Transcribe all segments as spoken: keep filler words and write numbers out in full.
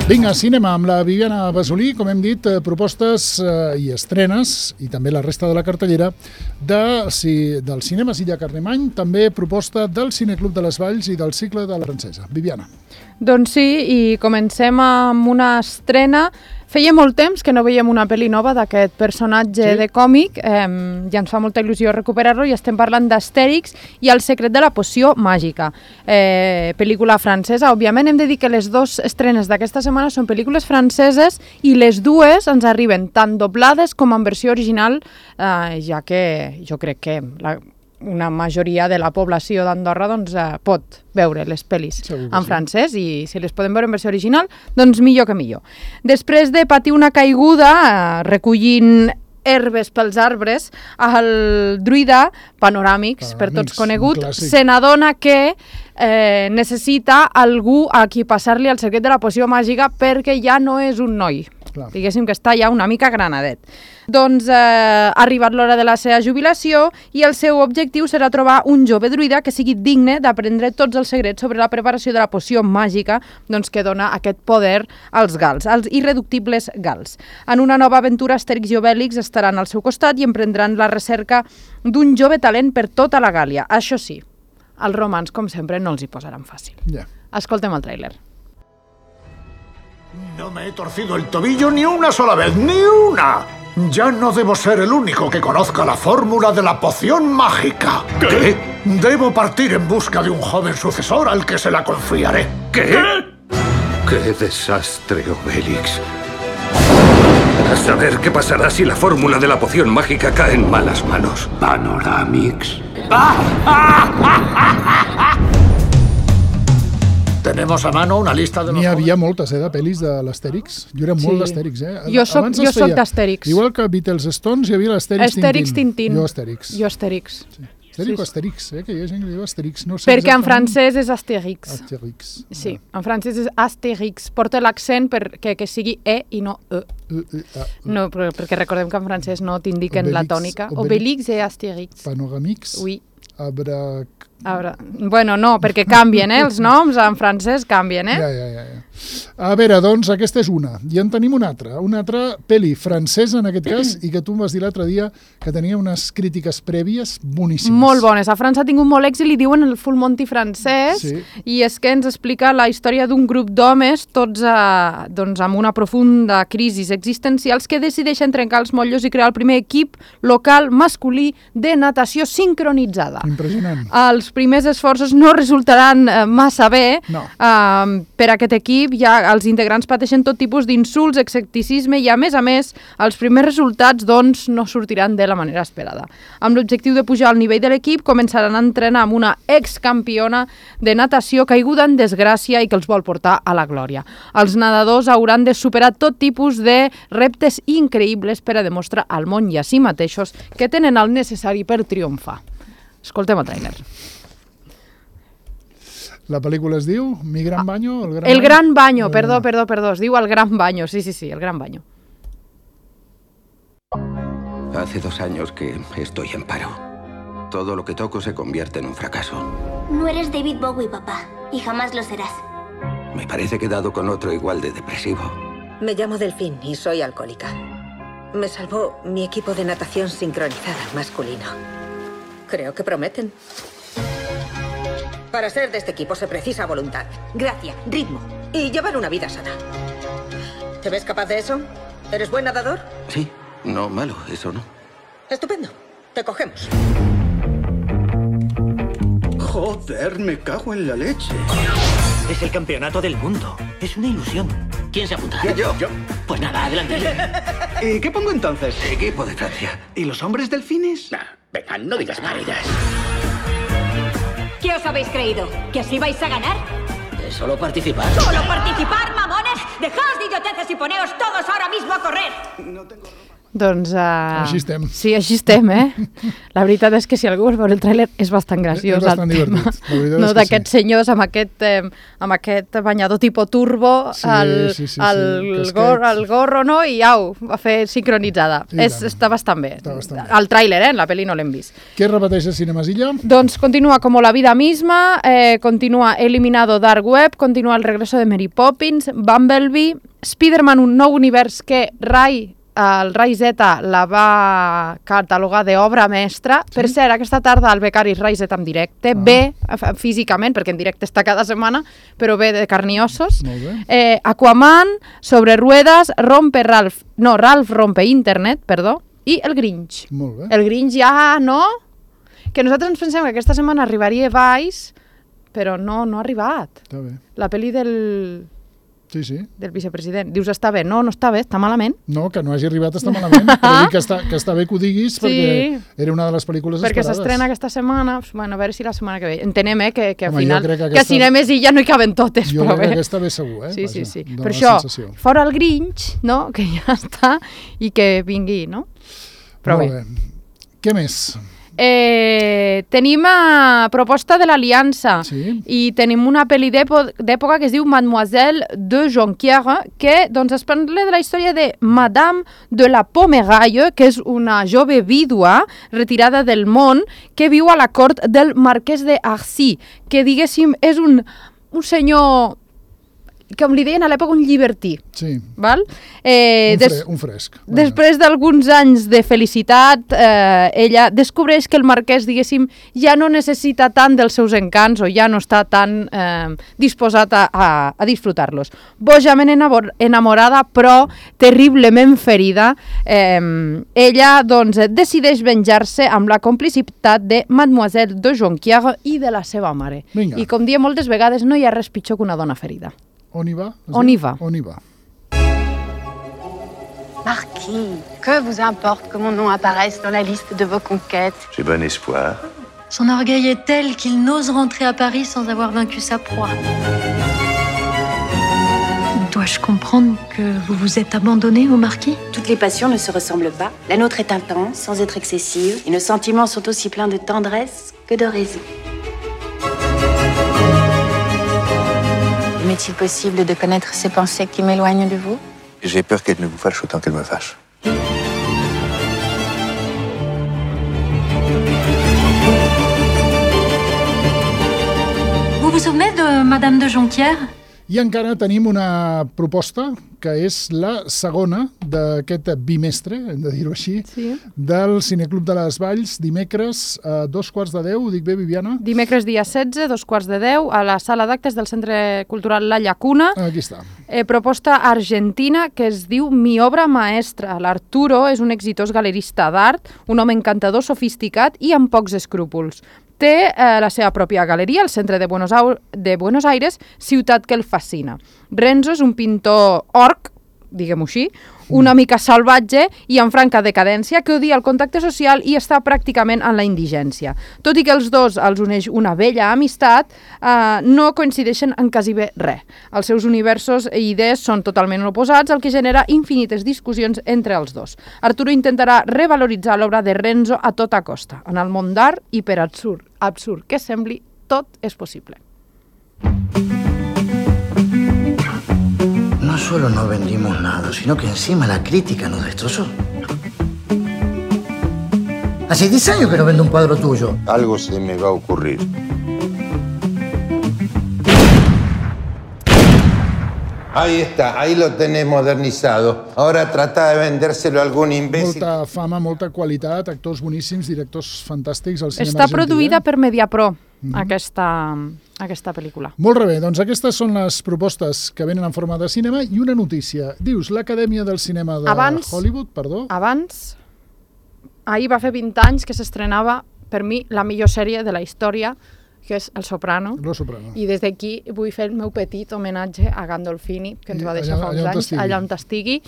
Vinga, cinema, amb la Viviana Basolí, com hem dit, propostes eh, i estrenes, i també la resta de la cartellera, de, si, del cinema Silla Carlemany, també proposta del Cineclub de les Valls i del cicle de la Francesa. Viviana. Doncs sí, i comencem amb una estrena. Feia molt temps que no veiem una pel·li nova d'aquest personatge sí. de còmic, eh, i ens fa molta il·lusió recuperar-lo, i estem parlant d'Astèrix i el secret de la poció màgica. Eh, pel·lícula francesa, òbviament hem de dir que les dues estrenes d'aquesta setmana són pel·lícules franceses i les dues ens arriben tant doblades com en versió original, eh, ja que jo crec que la una majoria de la població d'Andorra doncs, eh, pot veure les pel·lis en sí. francès, i si les podem veure en versió original, doncs millor que millor. Després de patir una caiguda eh, recollint herbes pels arbres, el druida Panoràmix, per tots conegut, se n'adona que eh, necessita algú a qui passar-li el secret de la poció màgica perquè ja no és un noi. Clar. Diguéssim que està ja una mica granadet. Doncs eh, ha arribat l'hora de la seva jubilació i el seu objectiu serà trobar un jove druida que sigui digne d'aprendre tots els secrets sobre la preparació de la poció màgica, doncs, que dona aquest poder als gals, als irreductibles gals. En una nova aventura, Astèrix i Obèlix estaran al seu costat i emprendran la recerca d'un jove talent per tota la Gàlia. Això sí, els romans, com sempre, no els hi posaran fàcil. Yeah. Escoltem el tràiler. No me he torcido el tobillo ni una sola vez, ni una. Ya no debo ser el único que conozca la fórmula de la poción mágica. ¿Qué? ¿Qué? Debo partir en busca de un joven sucesor al que se la confiaré. ¿Qué? ¿Qué? ¡Qué desastre, Obélix! A saber qué pasará si la fórmula de la poción mágica cae en malas manos. Panoràmix. Tenemos a mano una lista de los... N'hi havia moltes, eh, de pel·lis de l'Astèrix. Jo era molt sí. d'Astèrix, eh? Jo soc, jo soc d'Astèrix. Igual que Beatles Stones, hi havia l'Astèrix Tintín. Astèrix Tintín. Jo Astèrix. Jo Astèrix. Sí. Astèrix sí. o Astèrix, eh? Que hi ha gent que diu Astèrix. No sé perquè exactament. En francès és Astèrix. Astèrix. Sí, en francès és Astèrix. Porta l'accent perquè que sigui E i no E. E, e a, e. No, perquè recordem que en francès no t'indiquen la tònica. Obélix i Astèrix. Panoràmix. Oui. Abra... Abra... Bueno, no, perquè canvien, eh? Els noms en francès canvien, eh? Ja, ja, ja, ja. A veure, doncs, aquesta és una. I en tenim una altra. Una altra pel·li francesa, en aquest cas, i que tu em vas dir l'altre dia que tenia unes crítiques prèvies boníssimes. Molt bones. A França ha tingut molt èxit, li diuen el Full Monty francès, sí. I és que ens explica la història d'un grup d'homes, tots a, doncs, amb una profunda crisi existencials, que decideixen trencar els motllos i crear el primer equip local masculí de natació sincronitzada. Impressionant. Els primers esforços no resultaran eh, massa bé. No. Eh, per aquest equip ja els integrants pateixen tot tipus d'insults, escepticisme i, a més a més, els primers resultats doncs, no sortiran de la manera esperada. Amb l'objectiu de pujar al nivell de l'equip, començaran a entrenar amb una excampiona de natació caiguda en desgràcia i que els vol portar a la glòria. Els nedadors hauran de superar tot tipus de reptes increïbles per a demostrar al món i a si mateixos que tenen el necessari per triomfar. Escoltem el tràiler. La pel·lícula es diu Mi Gran Baño? El Gran, el gran Baño, el... perdó, perdó, perdó, es diu El Gran Baño, sí, sí, sí, El Gran Baño. Hace dos años que estoy en paro. Todo lo que toco se convierte en un fracaso. No eres David Bowie, papá, y jamás lo serás. Me parece que he dado con otro igual de depresivo. Me llamo Delfín y soy alcohólica. Me salvó mi equipo de natación sincronizada masculino. Creo que prometen. Para ser de este equipo se precisa voluntad, gracia, ritmo y llevar una vida sana. ¿Te ves capaz de eso? ¿Eres buen nadador? Sí, no malo, eso no. Estupendo, te cogemos. Joder, me cago en la leche. Es el campeonato del mundo. Es una ilusión. ¿Quién se apunta? Yo. Yo. Pues nada, adelante. ¿Y qué pongo entonces? Equipo de Francia. ¿Y los hombres delfines? Nah, venga, no digas parillas. ¿Qué os habéis creído? ¿Que así vais a ganar? ¿De solo participar? ¿Solo participar, mamones? Dejaos de idioteces y poneos todos ahora mismo a correr. No tengo ropa. Doncs... Uh... Així estem. Sí, així estem, eh? La veritat és que si algú vol veure el tràiler és bastant graciós. És bastant divertit. No, d'aquests sí. senyors amb aquest, eh, amb aquest banyador tipus turbo, sí, el, sí, sí, el, sí. Gor, el gorro, no? I au, va fer sincronitzada. És, està bastant bé. Està bastant bé. El tràiler, eh? La pel·li no l'hem vist. Què repeteix a Cinemasilla? Doncs continua como la vida misma, eh, continua Eliminado Dark Web, continua El regreso de Mary Poppins, Bumblebee, Spider-Man, un nou univers que Rai el Rai Z la va catalogar d'obra mestra. Sí? Per cert, aquesta tarda el becari Rai Z en directe, ah. bé físicament, perquè en directe està cada setmana, però bé de carn i ossos. Eh, Aquaman, Sobre ruedas, Rompe Ralph, no, Ralph rompe internet, perdó, i El Grinch. Molt bé. El Grinch ja, no? Que nosaltres ens pensem que aquesta setmana arribaria Vice, però no, no ha arribat. Està bé. La pel·li del... Sí, sí. del vicepresident. Dius, està bé? No, no està bé, està malament. No, que no hagi arribat està malament, però dic que està, que està bé que ho diguis sí. perquè era una de les pel·lícules perquè esperades. Perquè s'estrena aquesta setmana, bueno, a veure si la setmana que ve. Entenem, eh, que, que al Home, final, que, aquesta... que a Cinemes i ja no hi caben totes, jo però crec bé. que aquesta ve segur, eh? Sí, Vaja, sí, sí. dona Per això, sensació. fora el Grinch, no?, que ja està, i que vingui, no? Però Molt bé. bé. Què més? Eh, tenim a proposta de l'Aliança sí. i tenim una pel·li d'època que es diu Mademoiselle de Jonquière, que doncs, es parla de la història de Madame de la Pommeraye, que és una jove vídua retirada del món que viu a la cort del marquès d'Arcy, que diguéssim és un, un senyor... com li deien a l'època, un llibertí. Sí. Val? Eh, un, fre des... un fresc. Bueno. Després d'alguns anys de felicitat, eh, ella descobreix que el marquès, diguéssim, ja no necessita tant dels seus encants o ja no està tan eh, disposat a, a, a disfrutar-los. Bojament enamorada, però terriblement ferida, eh, ella doncs, decideix venjar-se amb la complicitat de Mademoiselle de Jonquière i de la seva mare. Vinga. I com diem moltes vegades, no hi ha res pitjor que una dona ferida. On y va? On y va. On y va. Marquis, que vous importe que mon nom apparaisse dans la liste de vos conquêtes? J'ai bon espoir. Son orgueil est tel qu'il n'ose rentrer à Paris sans avoir vaincu sa proie. Dois-je comprendre que vous vous êtes abandonné au marquis? Toutes les passions ne se ressemblent pas. La nôtre est intense, sans être excessive, et nos sentiments sont aussi pleins de tendresse que de raison. M'est-il possible de connaître ces pensées qui m'éloignent de vous? J'ai peur qu'elle ne vous fâche autant qu'elle me fâche. Vous vous souvenez de Madame de Jonquière? I encara tenim una proposta que és la segona d'aquest bimestre, hem de dir-ho així, sí. del Cineclub de les Valls, dimecres a dos quarts de deu, ho dic bé, Viviana? Dimecres dia setze, dos quarts de deu, a la sala d'actes del Centre Cultural La Llacuna. Aquí està. Eh, proposta argentina que es diu Mi obra maestra. L'Arturo és un exitós galerista d'art, un home encantador, sofisticat i amb pocs escrúpols. Té eh, la seva pròpia galeria al centre de Buenos, de Buenos Aires, ciutat que el fascina. Renzo és un pintor orc, diguem-ho així, una mica salvatge i en franca decadència, que odia el contacte social i està pràcticament en la indigència. Tot i que els dos els uneix una vella amistat, eh, no coincideixen en quasi bé res. Els seus universos i idees són totalment oposats, el que genera infinites discussions entre els dos. Arturo intentarà revaloritzar l'obra de Renzo a tota costa. En el món d'art, i per absurd, absurd que sembli, tot és possible. No solo no vendimos nada, sino que encima la crítica nos destrozó. Hace diez años que no vendo un cuadro tuyo. Algo se me va a ocurrir. Ahí está, ahí lo tenés modernizado. Ahora trata de vendérselo a algún imbécil. Molta fama, molta qualitat, actors boníssims, directors fantàstics al cinema Està argentí. produïda per Mediapro, Mhm. aquesta, aquesta pel·lícula. Molt bé, doncs aquestes són les propostes que venen en forma de cinema i una notícia. Dius, l'Acadèmia del Cinema de Abans- Hollywood, perdó. Abans, ahir va fer vint anys que s'estrenava, per mi, la millor sèrie de la història, que és El Soprano. Lo Soprano. I des d'aquí vull fer el meu petit homenatge a Gandolfini, que ens I va deixar allà- fa uns allà on anys, estigui. allà on estigui.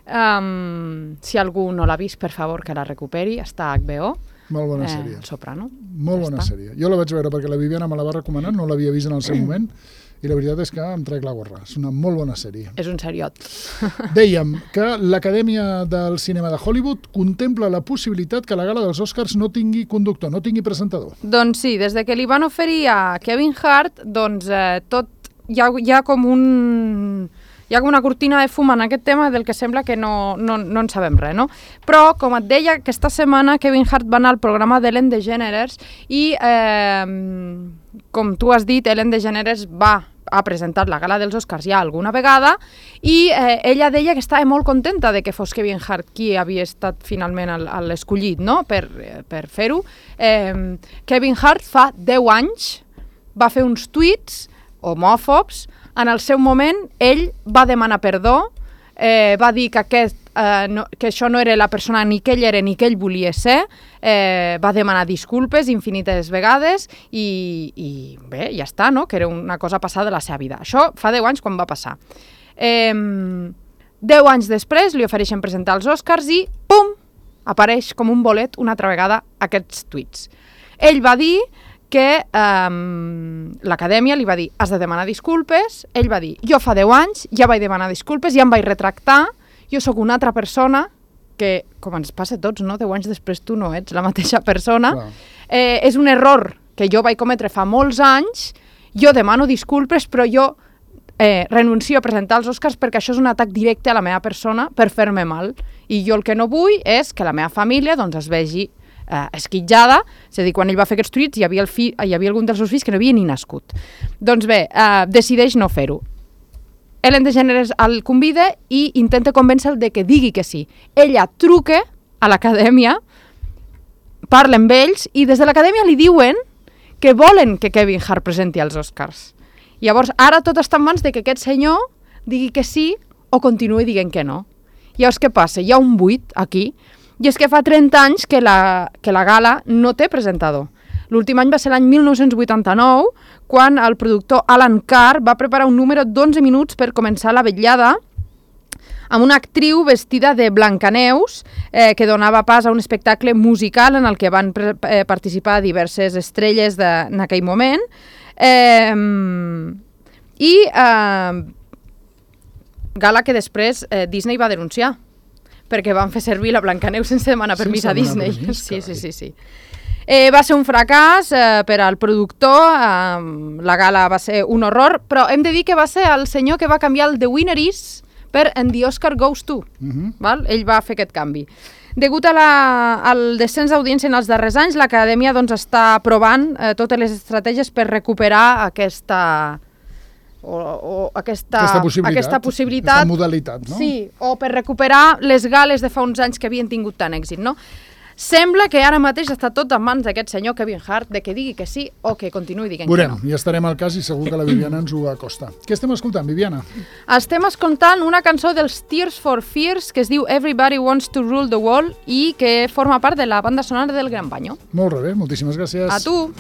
Um, si algú no l'ha vist, per favor, que la recuperi. Està a H B O. Molt bona eh, sèrie. El Soprano. Molt Ja bona està. sèrie. Jo la vaig veure perquè la Viviana me la va recomanar, no l'havia vist en el seu moment, i la veritat és que em trec la gorra. És una molt bona sèrie. És un seriot. Dèiem que l'Acadèmia del Cinema de Hollywood contempla la possibilitat que la gala dels Oscars no tingui conductor, no tingui presentador. Doncs sí, des de que li van oferir a Kevin Hart, doncs eh, tot hi ha, hi ha com un... Hi ha com una cortina de fum en aquest tema del que sembla que no, no, no en sabem res, no? Però, com et deia, aquesta setmana Kevin Hart va anar al programa d'Ellen DeGeneres i, eh, com tu has dit, Ellen DeGeneres va ha presentat la gala dels Oscars ja alguna vegada i eh, ella deia que estava molt contenta de que fos Kevin Hart qui havia estat finalment l'escollit, no?, per, per fer-ho. Eh, Kevin Hart fa deu anys va fer uns tuits homòfobs. En el seu moment, ell va demanar perdó, eh, va dir que, aquest, eh, no, que això no era la persona ni que ell era ni que ell volia ser, eh, va demanar disculpes infinites vegades i, i bé, ja està, no?, que era una cosa passada de la seva vida. Això fa deu anys quan va passar. Eh, deu anys després li ofereixen presentar els Oscars i, pum, apareix com un bolet una altra vegada aquests tuits. Ell va dir que um, l'acadèmia li va dir has de demanar disculpes, ell va dir jo fa deu anys ja vaig demanar disculpes, ja em vaig retractar, jo sóc una altra persona, que com ens passa a tots, no? deu anys després tu no ets la mateixa persona, eh, és un error que jo vaig cometre fa molts anys, jo demano disculpes però jo eh, renuncio a presentar els Oscars perquè això és un atac directe a la meva persona per fer-me mal, i jo el que no vull és que la meva família doncs, es vegi Uh, esquitjada, és a dir, quan ell va fer aquests tuits hi havia, el fi, hi havia algun dels seus fills que no havia ni nascut. Doncs bé, uh, decideix no fer-ho. Ellen DeGeneres el convida i intenta convèncer-lo de que digui que sí. Ella truca a l'acadèmia, parla amb ells i des de l'acadèmia li diuen que volen que Kevin Hart presenti els Oscars. Llavors, ara tot està en mans de que aquest senyor digui que sí o continuï dient que no. Llavors, què passa? Hi ha un buit aquí. I és que fa trenta anys que la, que la gala no té presentador. L'últim any va ser l'any mil nou-cents vuitanta-nou, quan el productor Alan Carr va preparar un número d'onze minuts per començar la vetllada amb una actriu vestida de Blancaneus eh, que donava pas a un espectacle musical en el que van pre eh, participar diverses estrelles de, en aquell moment. Eh, I eh, gala que després eh, Disney va denunciar, perquè van fer servir la Blancaneus sense demanar permís a Disney. Permís, sí, sí, sí, sí. Eh, va ser un fracàs eh, per al productor, eh, la gala va ser un horror, però hem de dir que va ser el senyor que va canviar el The Winner Is per And the Oscar Goes To. Uh-huh. Val? Ell va fer aquest canvi. Degut a la, al descens d'audiència en els darrers anys, l'acadèmia doncs, està provant eh, totes les estratègies per recuperar aquesta... O, o aquesta, aquesta possibilitat, aquesta possibilitat aquesta modalitat, no? Sí, o per recuperar les gales de fa uns anys que havien tingut tant èxit, no? Sembla que ara mateix està tot en mans d'aquest senyor Kevin Hart, de que digui que sí o que continuï dient Veurem, que no. Ja estarem al cas i segur que la Viviana ens ho acosta. Què estem escoltant, Viviana? Estem escoltant una cançó dels Tears for Fears que es diu Everybody Wants to Rule the World i que forma part de la banda sonora del Gran Baño. Molt bé, moltíssimes gràcies. A tu!